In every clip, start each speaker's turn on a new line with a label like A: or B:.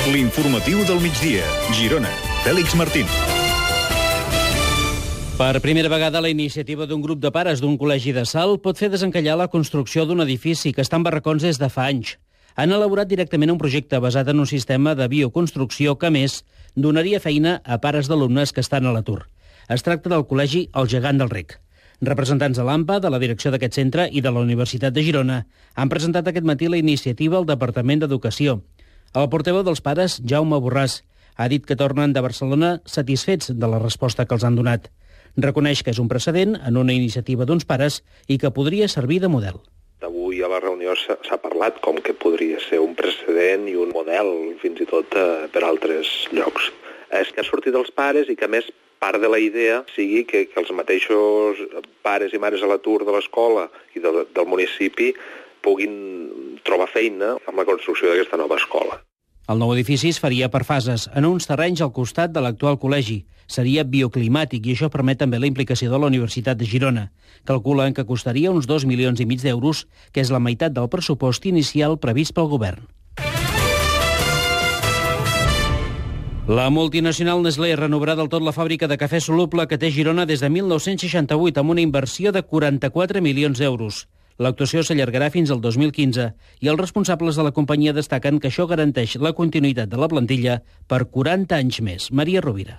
A: L'informatiu del migdia. Girona. Fèlix Martín.
B: Per primera vegada, la iniciativa d'un grup de pares d'un col·legi de Salt pot fer desencallar la construcció d'un edifici que està en barracons des de fa anys. Han elaborat directament un projecte basat en un sistema de bioconstrucció que, a més, donaria feina a pares d'alumnes que estan a l'atur. Es tracta del col·legi El Gegant del Rec. Representants de l'AMPA, de la direcció d'aquest centre i de la Universitat de Girona han presentat aquest matí la iniciativa al Departament d'Educació. El portaveu dels pares, Jaume Borràs, ha dit que tornen de Barcelona satisfets de la resposta que els han donat. Reconeix que és un precedent en una iniciativa d'uns pares i que podria servir de model.
C: Avui a la reunió s'ha parlat com que podria ser un precedent i un model fins i tot per altres llocs. És que ha sortit dels pares i que a més part de la idea sigui que els mateixos pares i mares a l'atur de l'escola i del municipi puguin trobar feina amb la construcció d'aquesta nova escola.
B: El nou edifici es faria per fases, en uns terrenys al costat de l'actual col·legi. Seria bioclimàtic i això permet també la implicació de la Universitat de Girona. Calculen que costaria uns 2,5 milions d'euros, que és la meitat del pressupost inicial previst pel govern. La multinacional Nestlé renovarà del tot la fàbrica de cafè soluble que té Girona des de 1968 amb una inversió de 44 milions d'euros. L'actuació s'allargarà fins al 2015 i els responsables de la companyia destaquen que això garanteix la continuïtat de la plantilla per 40 anys més. Maria Rovira.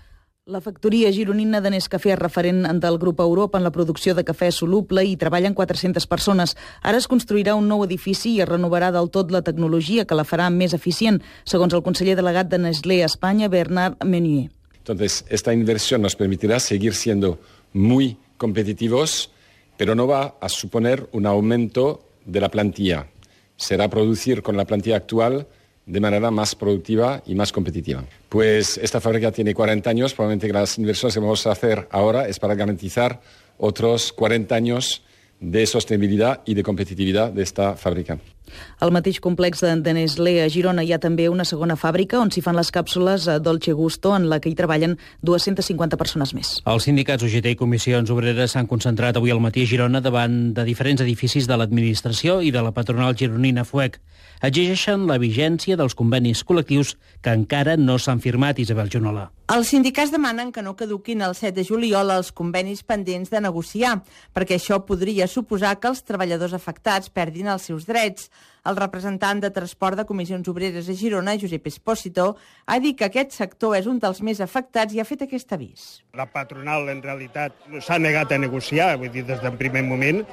D: La factoria gironina de Nescafé és referent del grup Europa en la producció de cafè soluble i treballen 400 persones. Ara es construirà un nou edifici i es renovarà del tot la tecnologia que la farà més eficient, segons el conseller delegat de Nestlé a Espanya, Bernard Meunier.
E: Entonces, esta inversión nos permitirá seguir siendo muy competitivos, pero no va a suponer un aumento de la plantilla. Será producir con la plantilla actual de manera más productiva y más competitiva. Pues esta fábrica tiene 40 años, probablemente las inversiones que vamos a hacer ahora es para garantizar otros 40 años de sostenibilidad y de competitividad de esta fàbrica.
D: Al mateix complex de Nestlé a Girona hi ha també una segona fàbrica on s'hi fan les càpsules Dolce Gusto, en la que hi treballen 250 persones més.
B: Els sindicats UGT i comissions obreres s'han concentrat avui al matí a Girona davant de diferents edificis de l'administració i de la patronal gironina FUEC. Exigeixen la vigència dels convenis col·lectius que encara no s'han firmat, Isabel Junola.
F: Els sindicats demanen que no caduquin el 7 de juliol els convenis pendents de negociar, perquè això podria suposar que els treballadors afectats perdin els seus drets. El representant de Transport de Comissions Obreres a Girona, Josep Espósito, ha dit que aquest sector és un dels més afectats i ha fet aquest avís.
G: La patronal, en realitat, s'ha negat a negociar, vull dir, des del primer moment.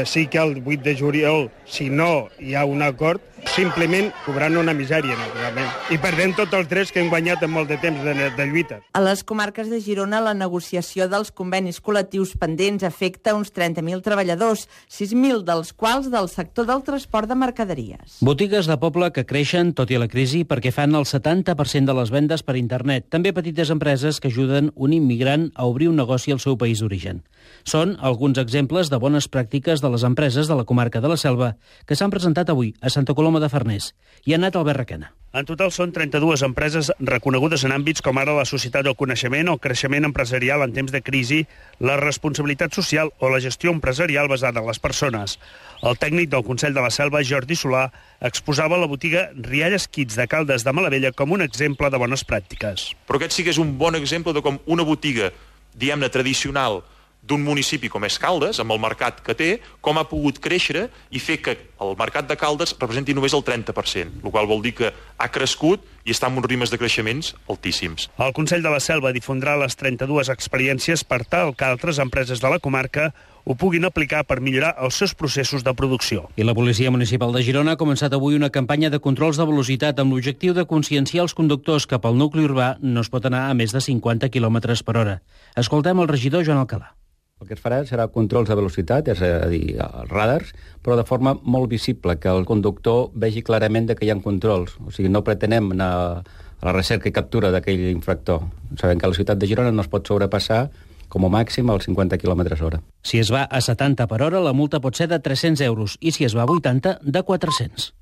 G: Sí que el 8 de juliol, si no hi ha un acord, simplement cobrant una misèria, naturalment. I perdent tots els drets que hem guanyat en molt de temps de lluita.
F: A les comarques de Girona, la negociació dels convenis col·lectius pendents afecta uns 30.000 treballadors, 6.000 dels quals del sector del transport de mercaderies.
B: Botigues de poble que creixen, tot i la crisi, perquè fan el 70% de les vendes per internet. També petites empreses que ajuden un immigrant a obrir un negoci al seu país d'origen. Són alguns exemples de bones pràctiques de les empreses de la comarca de la Selva que s'han presentat avui a Santa Coloma de Farners. Hi ha anat Albert Requena.
H: En total són 32 empreses reconegudes en àmbits com ara la societat del coneixement, el creixement empresarial en temps de crisi, la responsabilitat social o la gestió empresarial basada en les persones. El tècnic del Consell de la Selva, Jordi Solà, exposava la botiga Rialles Kids de Caldes de Malavella com un exemple de bones pràctiques.
I: Però aquest sí que és un bon exemple de com una botiga, diguem-ne, tradicional d'un municipi com és Caldes, amb el mercat que té, com ha pogut créixer i fer que el mercat de Caldes representi només el 30%, el qual vol dir que ha crescut i està en uns ritmes de creixements altíssims.
H: El Consell de la Selva difondrà les 32 experiències per tal que altres empreses de la comarca ho puguin aplicar per millorar els seus processos de producció.
B: I la Policia Municipal de Girona ha començat avui una campanya de controls de velocitat amb l'objectiu de conscienciar els conductors que pel nucli urbà no es pot anar a més de 50 km per hora. Escoltem el regidor Joan Alcalà.
J: El que es farà serà controls de velocitat, és a dir, els radars, però de forma molt visible, que el conductor vegi clarament que hi ha controls. O sigui, no pretenem anar a la recerca i captura d'aquell infractor. Sabem que a la ciutat de Girona no es pot sobrepassar com a màxim als 50 km hora.
B: Si es va a 70 per hora, la multa pot ser de 300 euros i si es va a 80, de 400.